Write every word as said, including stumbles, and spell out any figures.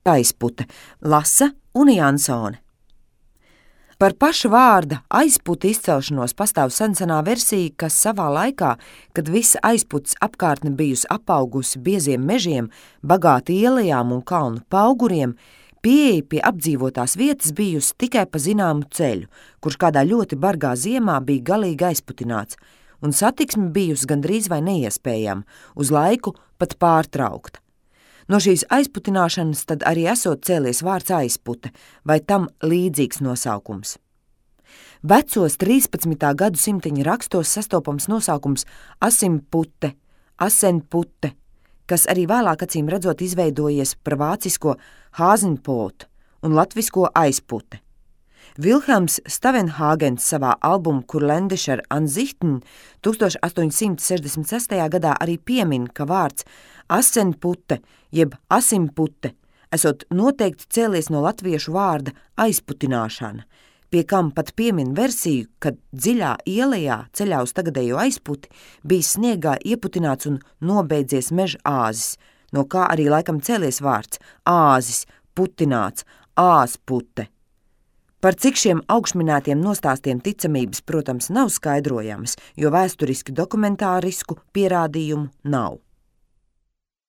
aizpute, lasa Une Jansone. Par paša vārda aizputa izcelšanos pastāv sensenā versija, kas savā laikā, kad visa aizputas apkārtne bijusi apaugusi bieziem mežiem, bagāti ielajām un kalnu pauguriem, pieeja pie apdzīvotās vietas bijusi tikai pa zināmu ceļu, kurš kādā ļoti bargā ziemā bija galīgi aizputināts, un satiksme bijusi gandrīz vai neiespējama, uz laiku pat pārtraukta. No šīs aizputināšanas tad arī esot cēlies vārds aizpute, vai tam līdzīgs nosaukums. Vecos trīspadsmitā gadsimtiņa rakstos sastopams nosaukums asimpute, asenpute, kas arī vēlāk acīm redzot izveidojies par vācisko Hasenpot un latvisko aizpute. Vilhelms Stavenhāgens savā albuma Kurländischer Ansichten tūkstoš astoņsimt sešdesmit sestajā gadā arī piemin, ka vārds asenpute jeb asimpute esot noteikti cēlies no latviešu vārda aizputināšana, pie kam pat piemin versiju, kad dziļā ielajā ceļā uz tagadējo aizputi bija sniegā ieputināts un nobeidzies meža āzis, no kā arī laikam cēlies vārds āzis, putināts, āzpute. Par cik šiem augšminētiem nostāstiem ticamības, protams, nav skaidrojamas, jo vēsturiski dokumentārisku pierādījumu nav.